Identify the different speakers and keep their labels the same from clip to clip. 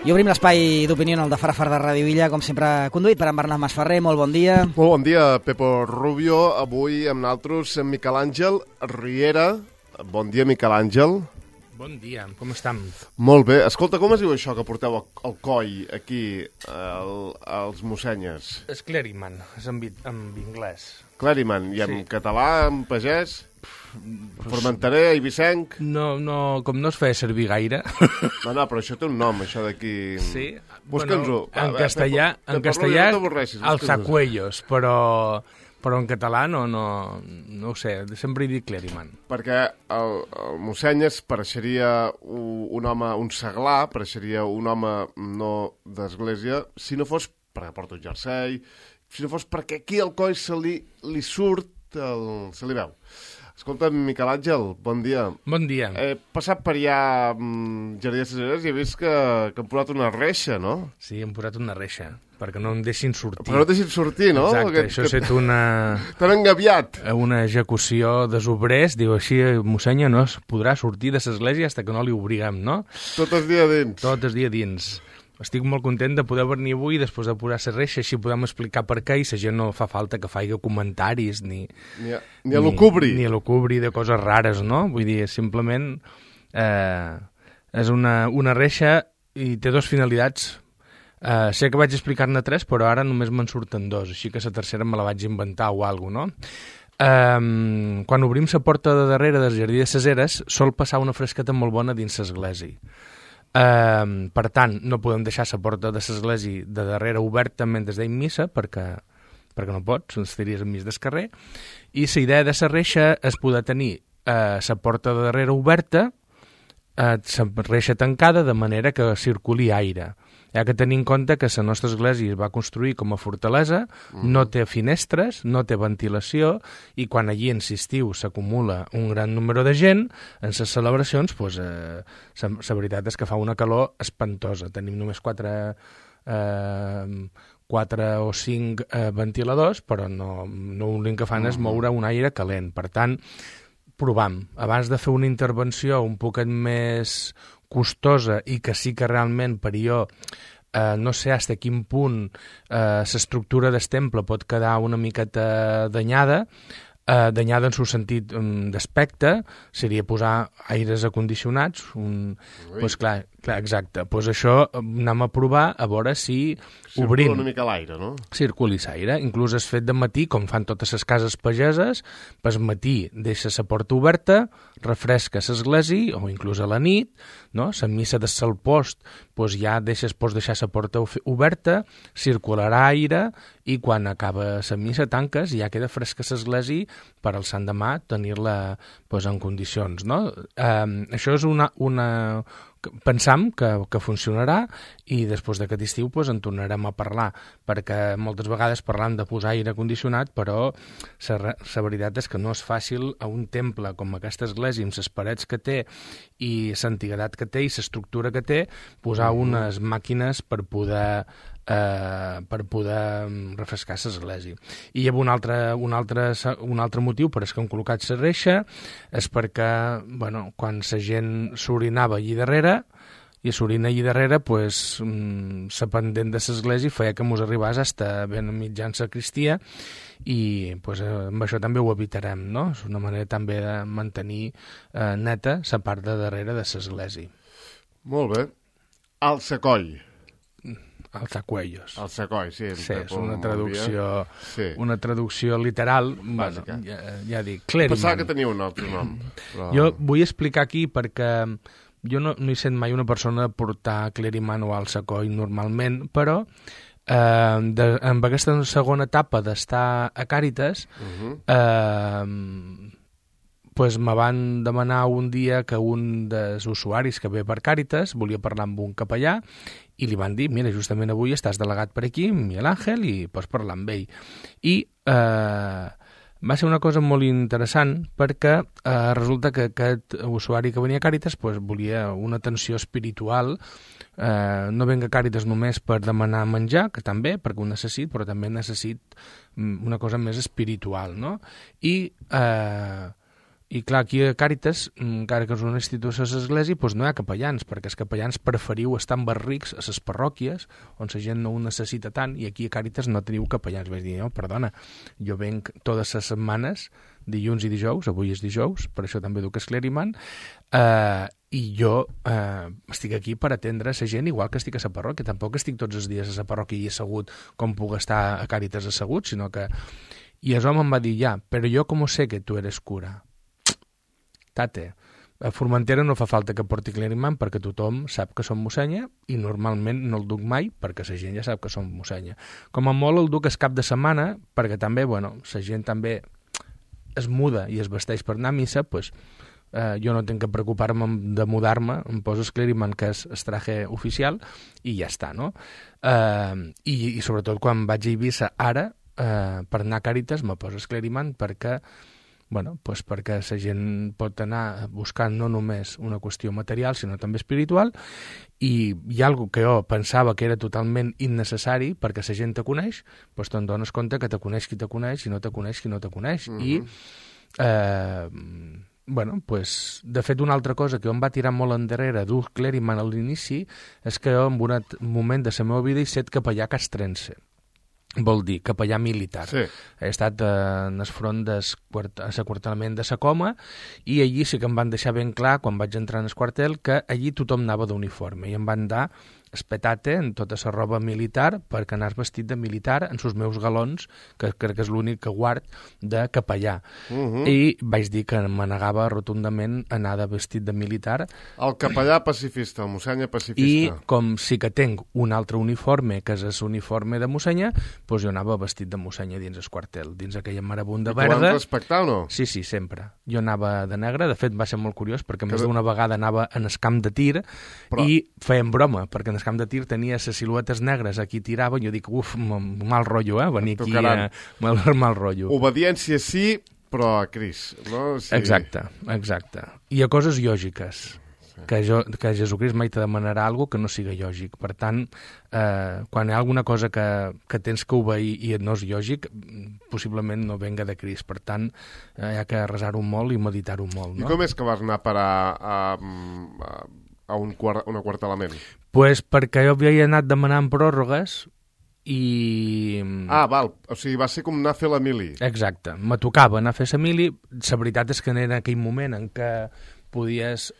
Speaker 1: I obrim l'espai d'opinió en el de Farafar de Ràdio Illa, com sempre conduït per en Bernat Masferrer. Molt bon dia.
Speaker 2: Molt bon dia, Pepo Rubio. Avui amb nosaltres Miquel Àngel Riera. Bon dia, Miquel Àngel.
Speaker 3: Bon dia, com estem?
Speaker 2: Molt bé. Escolta, com es diu això que porteu al coll aquí, als Mossenyes?
Speaker 3: És cleriman, és en anglès.
Speaker 2: Cleriman, i en català, en pagès? Formentaré, eivissenc?
Speaker 3: No, com no es feia servir gaire.
Speaker 2: No, però això té un nom, això d'aquí...
Speaker 3: Sí,
Speaker 2: Busca'ns-ho.
Speaker 3: En castellà, alzacuellos, però en català no ho sé, sempre he dit cleriman.
Speaker 2: Perquè el Mossenyes pareixeria un home, un seglar, pareixeria un home no d'església, si no fos perquè porta un jersei, si no fos perquè aquí al coll se li surt, se li veu. Escolta, Miquel Àngel, bon dia.
Speaker 3: Bon dia.
Speaker 2: He passat per allà Jardí de Ceseres i he vist que han posat una reixa, no?
Speaker 3: Sí, han posat una reixa, perquè no em deixin sortir.
Speaker 2: Però no deixin sortir, no?
Speaker 3: Exacte, això ha estat una...
Speaker 2: T'han engaviat.
Speaker 3: Una execució dels obrers, diu així, mossenya no es podrà sortir de l'església fins que no li obriguem, no?
Speaker 2: Tot el dia dins.
Speaker 3: Tot el dia dins. Estic molt content de poder venir avui després de posar la reixa, així podem explicar per què i la gent no fa falta que faci comentaris ni a l'ocubri de coses rares, no? Vull dir, simplement és una reixa i té dues finalitats. Sé que vaig explicar-ne tres, però ara només me'n surten dos, així que la tercera me la vaig inventar o alguna cosa, no? Quan obrim la porta de darrere del Jardí de Ceseres sol passar una fresqueta molt bona dins l'església. Per tant, no podem deixar la porta de l'església de darrere oberta mentre deim missa, perquè no pots, estaries enmig del carrer, i la idea de la reixa és poder tenir la porta de darrere oberta, la reixa tancada, de manera que circuli aire. Hi ha que tenir en compte que la nostra església es va construir com a fortalesa, no té finestres, no té ventilació, i quan allí en l'estiu s'acumula un gran número de gent, en les celebracions, la veritat és que fa una calor espantosa. Tenim només 4 o 5 ventiladors, però no l'únic que fan és moure un aire calent. Per tant, provam. Abans de fer una intervenció un poquet més costosa i que sí que realment per jo no sé fins a quin punt l'estructura del temple pot quedar una miqueta danyada en el sentit d'aspecte, seria posar aires acondicionats, pues clar, exacte. Pues això anem a provar a veure si obrim.
Speaker 2: Circula una mica l'aire, no?
Speaker 3: Circuli l'aire. Inclús es fet de matí, com fan totes les cases pageses, pel matí deixa la porta oberta, refresca l'església, o inclús a la nit, no? La missa de Salpost, pues ja pots deixar la porta oberta, circularà aire, i quan acaba la missa tanques i ja queda fresca l'església per al sant demà tenir-la en condicions, no? Això és una pensam que funcionarà, i després d'aquest estiu en tornarem a parlar, perquè moltes vegades parlam de posar aire condicionat, però la veritat és que no és fàcil a un temple com aquesta església, amb les parets que té i l'antiguitat que té i l'estructura que té, posar unes màquines per poder refrescar l'església. I hi ha un altre motiu per què han col·locat la reixa, és perquè quan la gent s'orinava allí darrere, i s'orina allí darrere, la pendent de l'església feia que mos arribés fins ben mitjan sacristia, i amb això també ho evitarem, no? És una manera també de mantenir neta la part de darrere de l'església.
Speaker 2: Molt bé. Alçacoll.
Speaker 3: Alzacuellos.
Speaker 2: Alzacoll, sí.
Speaker 3: Sí, és una traducció literal. Ja dic, cleriman.
Speaker 2: Pensava que tenia un altre nom. Però...
Speaker 3: Jo vull explicar aquí perquè jo no he sent mai una persona portar cleriman o alzacoll normalment, però amb aquesta segona etapa d'estar a Càritas, me van demanar un dia que un dels usuaris que ve per Càritas volia parlar amb un capellà, i li van dir, mira, justament avui estàs delegat per aquí, amb Miguel Àngel, i pots parlar amb ell. I va ser una cosa molt interessant, perquè resulta que aquest usuari que venia a Càritas volia una atenció espiritual. No venga a Càritas només per demanar menjar, que també, perquè ho necessit, però també necessit una cosa més espiritual, no? I I clar, aquí a Càritas, encara que és una institució de l'església, doncs no hi ha capellans, perquè els capellans preferiu estar en barrics a les parròquies, on la gent no ho necessita tant, i aquí a Càritas no teniu capellans. Vaig dir, no, perdona, jo venc totes les setmanes, dilluns i dijous, avui és dijous, per això també duc escleriman, i jo estic aquí per atendre la gent igual que estic a la parròquia. Tampoc estic tots els dies a la parròquia i assegut com puc estar a Càritas assegut, sinó que... I el home em va dir, ja, però jo com sé que tu eres cura? Tate, a Formentera no fa falta que porti cleriman perquè tothom sap que som mossenya i normalment no el duc mai perquè la gent ja sap que som mossenya. Com a molt el duc el cap de setmana perquè també, bueno, la gent també es muda i es vesteix per anar a missa, doncs jo no tinc que preocupar-me de mudar-me, em poso el cleriman, que és el traje oficial, i ja està, no? I sobretot quan vaig a Eivissa ara, per anar a Càritas, me poso el cleriman perquè perquè la gent pot anar buscant no només una qüestió material, sinó també espiritual, i hi ha alguna que jo pensava que era totalment innecessari perquè la gent te coneix, doncs te'n dones compte que te coneix qui te coneix i no te coneix qui no te coneix. I, de fet, una altra cosa que em va tirar molt endarrere dur cleriman a l'inici és que jo en un moment de la meva vida he set capellà castrense. Vol dir capellà militar. Sí. He estat en el front de l'aquartelament de la Coma i allí sí que em van deixar ben clar, quan vaig entrar en el quartel, que allí tothom anava d'uniforme i em van dar espetate en tota la roba militar perquè anàs vestit de militar en els meus galons, que crec que és l'únic que guard de capellà. I vaig dir que me negava rotundament anar de vestit de militar.
Speaker 2: El capellà pacifista, el mossenya pacifista.
Speaker 3: I com sí que tinc un altre uniforme, que és l'uniforme de mossenya, doncs jo anava vestit de mossenya dins el quartel, dins aquella marabunda verda.
Speaker 2: I t'ho van respectar o no?
Speaker 3: Sí, sempre. Jo anava de negre, de fet va ser molt curiós, perquè més d'una vegada anava en el camp de tir i feien broma, perquè en el camp de tir tenia les siluetes negres, aquí tirava, i jo dic, mal rotllo, venir aquí mal rotllo.
Speaker 2: Obediència sí, però a Cris, no? Sí.
Speaker 3: Exacte. I a coses lògiques. Que Jesucrist mai te demanarà alguna que no siga lògic. Per tant, quan hi ha alguna cosa que tens que obeir i no és lògic, possiblement no venga de Crist. Per tant, hi ha que resar-ho molt i meditar-ho molt. No?
Speaker 2: I com és que vas anar a parar a un aquartelament?
Speaker 3: Pues perquè jo havia anat demanant pròrrogues i...
Speaker 2: val. O sigui, va ser com anar a fer la mili.
Speaker 3: Exacte. Me tocava anar a fer la mili. La veritat és que era aquell moment en què podies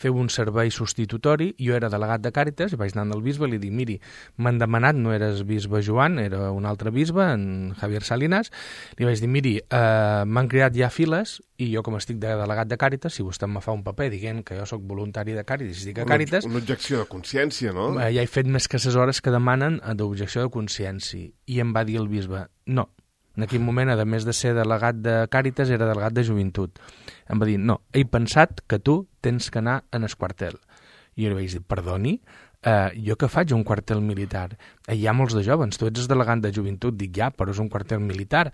Speaker 3: fer un servei substitutori. Jo era delegat de Càritas i vaig anar al bisbe i li dic, miri, m'han demanat, no eres bisbe Joan, era un altre bisbe, en Javier Salinas, li vaig dir, miri, m'han creat ja files i jo com estic de delegat de Càritas, si vostè me fa un paper dient que jo sóc voluntari de Càritas i estic a Càritas...
Speaker 2: Una objecció de consciència, no?
Speaker 3: Ja he fet més que les hores que demanen d'objecció de consciència. I em va dir el bisbe, no. En aquell moment, a més de ser delegat de Càritas, era delegat de joventut. Em va dir, no, he pensat que tu tens que anar en el quartel. I jo li vaig dir, perdoni, jo que faig un quartel militar? Hi ha molts de joves, tu ets el delegat de joventut. Dic, ja, però és un quartel militar.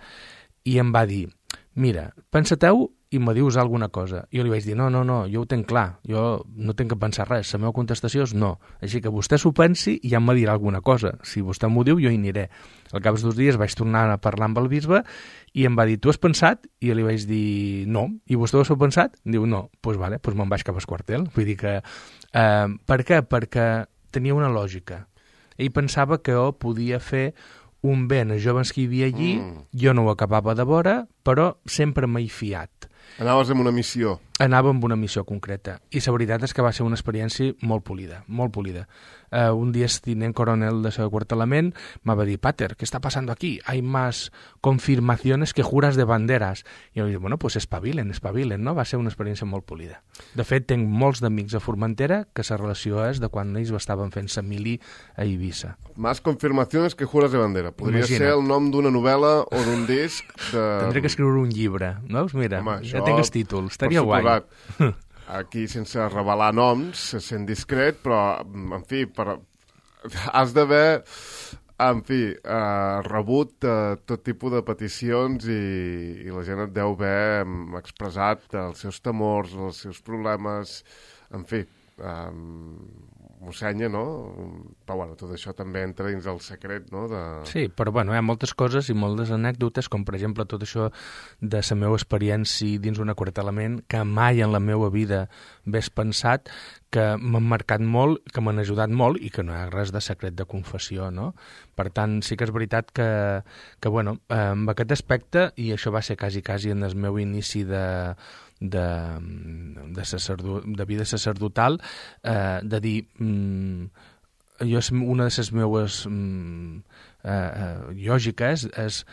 Speaker 3: I em va dir, mira, pensa-teu i me dius alguna cosa. Jo li vaig dir, no, jo ho tenc clar, jo no tinc que pensar res, la meva contestació és no. Així que vostè s'ho pensi i ja em dirà alguna cosa. Si vostè m'ho diu, jo hi aniré. Al cap de 2 dies vaig tornar a parlar amb el bisbe i em va dir, tu has pensat? I jo li vaig dir, no. I vostè ho ha pensat? Diu, no. Doncs vale, me'n vaig cap al quartel. Vull dir que... per què? Perquè tenia una lògica. Ell pensava que jo podia fer un bé als joves que hi havia allí, jo no ho acabava de veure, però sempre m'he fiat.
Speaker 2: Anaves amb una missió.
Speaker 3: Anava amb una missió concreta. I la veritat és que va ser una experiència molt polida, molt polida. Un dia el tinent coronel de l'aquartelament me va dir, Pater, ¿qué está pasando aquí? Hay más confirmaciones que juras de banderas. I jo vaig dir, bueno, pues espavilen, no? Va ser una experiència molt polida. De fet, tinc molts d'amics a Formentera que la relació és de quan ells estaven fent la mili a Eivissa.
Speaker 2: Más confirmaciones que juras de bandera. Podria ser el nom d'una novel·la o d'un disc de...
Speaker 3: Tendré que escriure un llibre, no? Mira, home, ja tinc el títol, estaria guai.
Speaker 2: Aquí, sense revelar noms, se sent discret, però, en fi, has d'haver, en fi, rebut tot tipus de peticions i la gent et deu haver expressat els seus temors, els seus problemes, en fi, mossenya, no? Però, bueno, tot això també entra dins el secret, no?
Speaker 3: Sí, però, bueno, hi ha moltes coses i moltes anècdotes, com, per exemple, tot això de la meva experiència dins un acuartelament, que mai en la meva vida hagués pensat, que m'han marcat molt, que m'han ajudat molt i que no hi ha res de secret de confessió, no? Per tant, sí que és veritat que bueno, amb aquest aspecte, i això va ser quasi en el meu inici de vida sacerdotal, de dir, jo, una de les meves lògiques és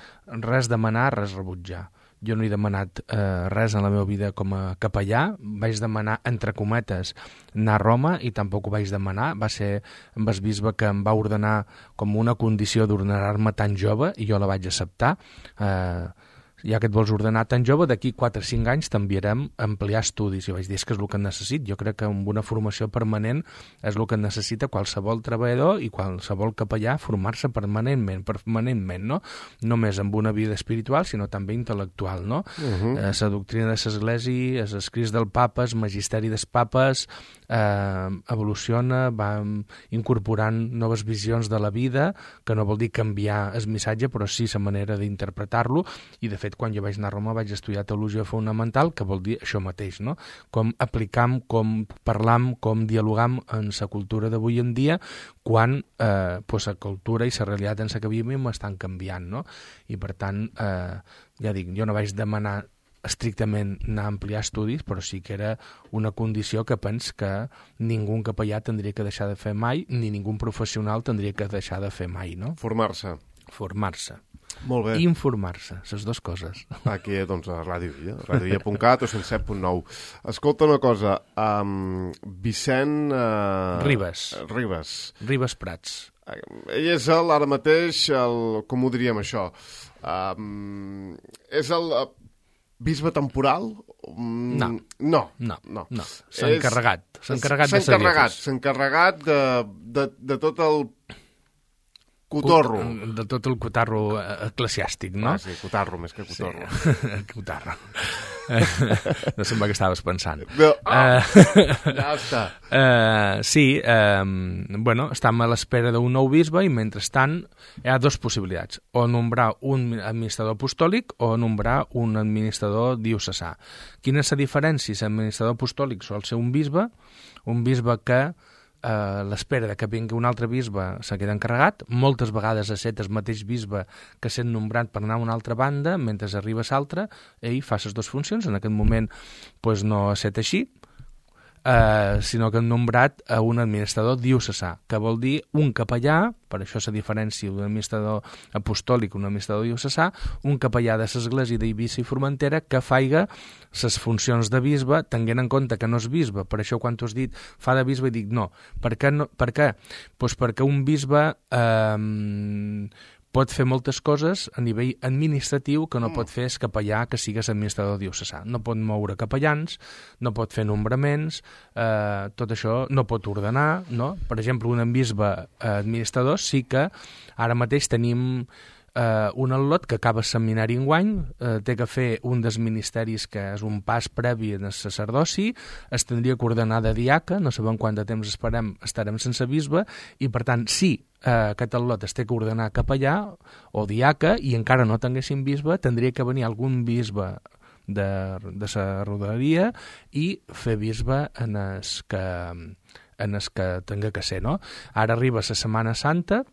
Speaker 3: res demanar, res rebutjar. Jo no he demanat res en la meva vida com a capellà, vaig demanar, entre cometes, anar a Roma i tampoc ho vaig demanar, va ser amb el bisbe que em va ordenar com una condició d'ordenar-me tan jove i jo la vaig acceptar. Ja que et vols ordenar tan jove, d'aquí 4 o 5 anys t'enviarem a ampliar estudis. I vaig dir, és que és el que necessito. Jo crec que amb una formació permanent és el que necessita qualsevol treballador i qualsevol capellà, formar-se permanentment, no? Només amb una vida espiritual, sinó també intel·lectual, no? La doctrina de l'Església, els escrits del papa, el magisteri dels papes, evoluciona, va incorporant noves visions de la vida, que no vol dir canviar el missatge, però sí la manera d'interpretar-lo, i de fet quan jo vaig anar a Roma vaig estudiar teologia fonamental, que vol dir això mateix, no? Com aplicam, com parlam, com dialogam en la cultura d'avui en dia, quan pues, la cultura i la realitat en la que vivim estan canviant, no? I per tant, ja dic, jo no vaig demanar estrictament anar a ampliar estudis, però sí que era una condició que pens que ningú capellà tindria que deixar de fer mai, ni ningú professional tindria que deixar de fer mai, no?
Speaker 2: Formar-se. Molt bé.
Speaker 3: Informar-se, les dues coses.
Speaker 2: Aquí, doncs, a Ràdio Villa, radiovilla.cat o 107.9. Escolta una cosa, Vicent...
Speaker 3: Ribes Prats.
Speaker 2: Ell és ara mateix, com ho diríem això, és el bisbe temporal? No.
Speaker 3: S'ha
Speaker 2: encarregat de tot el cotorro.
Speaker 3: De tot el cotarro eclesiàstic, no?
Speaker 2: Sí, cotarro, més que cotorro.
Speaker 3: Sí. Cotarro. No sembla que estaves pensant.
Speaker 2: Ja està.
Speaker 3: Sí, bueno, estem a l'espera d'un nou bisbe i, mentrestant, hi ha dues possibilitats. O nombrar un administrador apostòlic o nombrar un administrador diocesà. Quina és la diferència? L'administrador apostòlic sol ser un bisbe que l'espera de que vingui un altre bisbe se queda encarregat, moltes vegades ha estat el mateix bisbe que sent nombrat per anar a una altra banda, mentre arriba l'altre, ell fa les dues funcions. En aquest moment pues, no ha estat així, sinó que han nombrat a un administrador diocesà, que vol dir un capellà, per això la diferència d'un administrador apostòlic i un administrador diocesà, un capellà de l'Església d'Eivissa i Formentera que faiga les funcions de bisbe, tenint en compte que no és bisbe. Per això quan tu has dit fa de bisbe, dic no. Per què? Pues perquè un bisbe pot fer moltes coses a nivell administratiu que no pot fer el capellà que sigues administrador diocesà. No pot moure capellans, no pot fer nombraments, tot això no pot ordenar, no? Per exemple, un bisbe administrador sí que ara mateix tenim un al·lot que acaba el seminari enguany, té que fer un dels ministeris que és un pas previ en el sacerdoci, es tindria que ordenar de diaca, no sabem quant de temps estarem sense bisbe, i per tant, si aquest al·lot es té que ordenar capellà o diaca i encara no tinguéssim bisbe, tindria que venir algun bisbe de la rodalia i fer bisbe en els que tinga que ser, no? Ara arriba la Setmana Santa,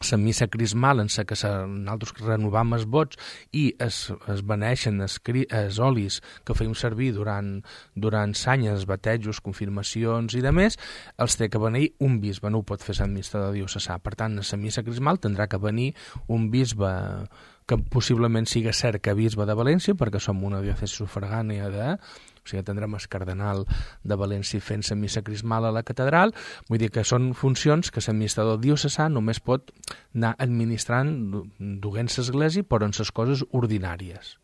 Speaker 3: la missa crismal en la que nosaltres renovam els vots i es beneixen els olis que feim servir durant l'any, els batejos, confirmacions i demés, els té que venir un bisbe, no ho pot fer l'administrador diocesà. Per tant, a la missa crismal tindrà que venir un bisbe que possiblement siga cert que bisbe de València, perquè som una diòcesi sufragània o sigui, tindrem el cardenal de València fent la missa crismal a la catedral. Vull dir que són funcions que l'administrador diocesà només pot anar administrant duent l'església, però en les coses ordinàries.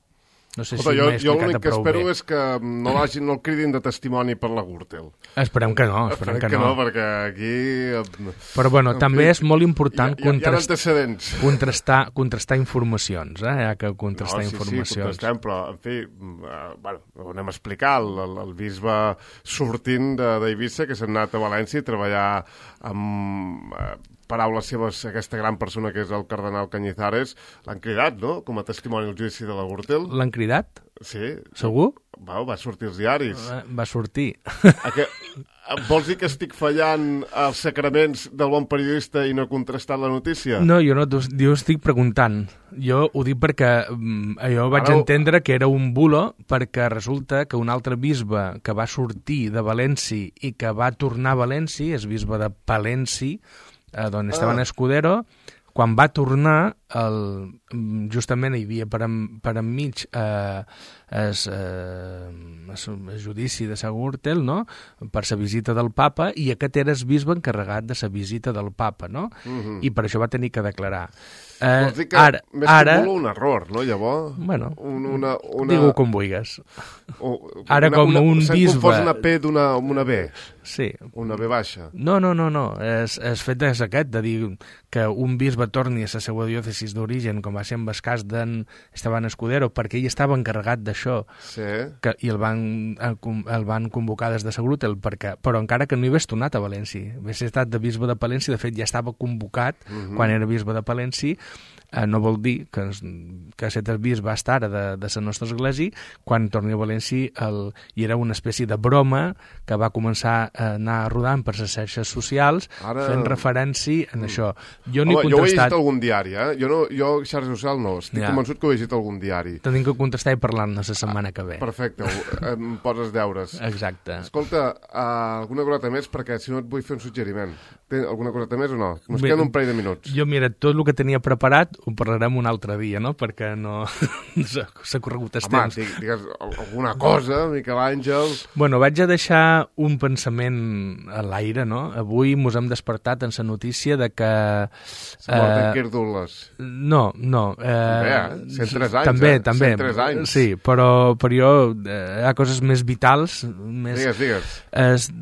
Speaker 3: No sé si m'he explicat prou bé.
Speaker 2: Jo l'únic que espero és que no el cridin de testimoni per la Gürtel.
Speaker 3: Esperem que no, esperem que no.
Speaker 2: Perquè aquí...
Speaker 3: Però bueno, també és molt important
Speaker 2: contrastar
Speaker 3: informacions, ja que contrastar informacions.
Speaker 2: Sí, contrastem, però, en fi, ho anem a explicar, el bisbe sortint d'Eivissa, que s'ha anat a València a treballar amb... paraules seves, aquesta gran persona que és el cardenal Cañizares, l'han cridat, no?, com a testimoni al judici de la Gürtel.
Speaker 3: L'han cridat?
Speaker 2: Sí.
Speaker 3: Segur?
Speaker 2: Va sortir als diaris.
Speaker 3: Va sortir.
Speaker 2: Vols dir que estic fallant els sacraments del bon periodista i no he contrastat la notícia?
Speaker 3: No, jo estic preguntant. Jo ho dic perquè jo vaig entendre que era un bulo, perquè resulta que un altre bisbe que va sortir de València i que va tornar a València, és bisbe de Palenci, d'on Esteban Escudero, quan va tornar, justament hi havia per enmig el judici de la Gürtel, no?, per la visita del papa, i aquest era el bisbe encarregat de la visita del papa, no? I per això va tenir que declarar.
Speaker 2: Vols dir que més que un error, no, llavors?
Speaker 3: Bueno, digue-ho com vulguis. Ara com un bisbe...
Speaker 2: S'han confós una P d'una B.
Speaker 3: Sí.
Speaker 2: Una B baixa.
Speaker 3: No. El fet és aquest, de dir que un bisbe torni a la seva diòcesis d'origen, com va ser en el cas d'en Esteban Escudero, perquè ell estava encarregat d'això, i el van convocar des de la Gürtel, però encara que no hi hagués tornat a València. Hagués estat de bisbe de Palència, de fet ja estava convocat quan era bisbe de Palència. No vol dir que aquest bisbe va estar de la nostra església quan torni a València, i era una espècie de broma que va començar a anar rodant per les xarxes socials, fent referència a això. Jo
Speaker 2: ho he llegit algun diari, jo xarxa social no, estic convençut que ho he llegit algun diari.
Speaker 3: Tenim que contestar i parlar-ne la setmana que ve.
Speaker 2: Perfecte, em poses deures.
Speaker 3: Exacte.
Speaker 2: Escolta, alguna coseta més, perquè si no et vull fer un suggeriment. Alguna coseta més o no? Ens queden un parell de minuts.
Speaker 3: Jo, mira, tot el que tenia preparat ho parlarem un altre dia, no?, perquè no s'ha corregut el temps.
Speaker 2: Home, digues alguna cosa, Miquel Àngel...
Speaker 3: Bueno, vaig a deixar un pensament a l'aire, no? Avui mos hem despertat en la notícia de que...
Speaker 2: S'ha mort en Quirdules.
Speaker 3: No.
Speaker 2: 103 anys,
Speaker 3: també.
Speaker 2: 103 anys.
Speaker 3: Sí, però jo hi ha coses més vitals.
Speaker 2: Digues.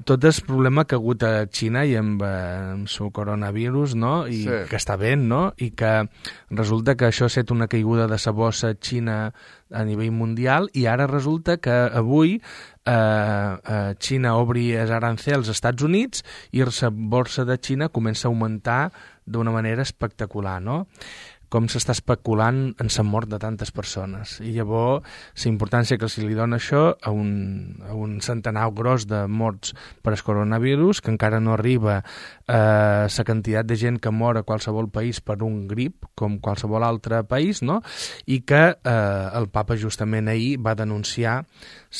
Speaker 3: Tot el problema que ha hagut a Xina i amb el coronavirus, no?, i que està bé, no?, i que resulta que això ha estat una caiguda de la bossa Xina a nivell mundial, i ara resulta que avui Xina obri els arancels als Estats Units i la borsa de Xina comença a augmentar d'una manera espectacular, no? Com s'està especulant en la mort de tantes persones. I llavors, la importància que se li dona això a un centenar gros de morts per al coronavirus, que encara no arriba a la quantitat de gent que mor a qualsevol país per un grip, com qualsevol altre país, no?, i que el papa justament ahir va denunciar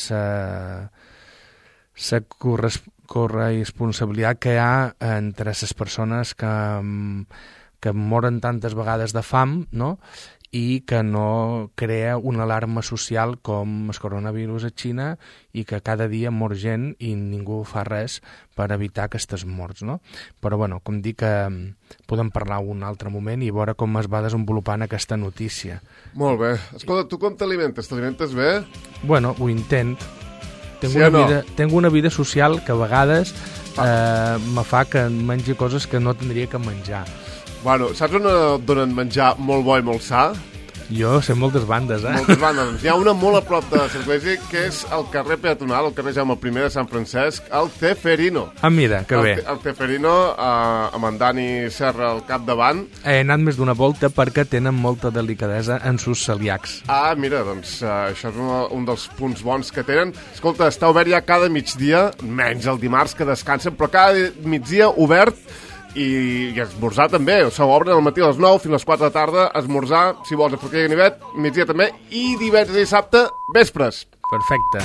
Speaker 3: la corresponsabilitat que hi ha entre les persones que moren tantes vegades de fam, no?, i que no crea una alarma social com el coronavirus a Xina, i que cada dia mor gent i ningú fa res per evitar aquestes morts, no? Però, bueno, com dic, podem parlar un altre moment i veure com es va desenvolupant aquesta notícia.
Speaker 2: Molt bé. Escolta, tu com t'alimentes? T'alimentes bé?
Speaker 3: Bueno, ho intent. Tengo una vida social que a vegades me fa que mengi coses que no tindria que menjar.
Speaker 2: Bueno, saps on donen menjar molt bo i molt sa?
Speaker 3: Jo sé moltes bandes,
Speaker 2: Moltes bandes. Hi ha una molt a prop de l'església, que és el carrer peatonal, el carrer Jaume I de Sant Francesc, el Ceferino.
Speaker 3: Ah, mira, que bé.
Speaker 2: El Ceferino, amb en Dani Serra al capdavant.
Speaker 3: He anat més d'una volta perquè tenen molta delicadesa en sus celíacs.
Speaker 2: Ah, mira, doncs això és un dels punts bons que tenen. Escolta, està obert ja cada migdia, menys el dimarts que descansen, però cada migdia obert. I esmorzar també, s'obren al matí a les 9 fins a les 4 de tarda, esmorzar, si vols, a Forquella i Ganivet, migdia també, i divendres i dissabte, vespres.
Speaker 3: Perfecte.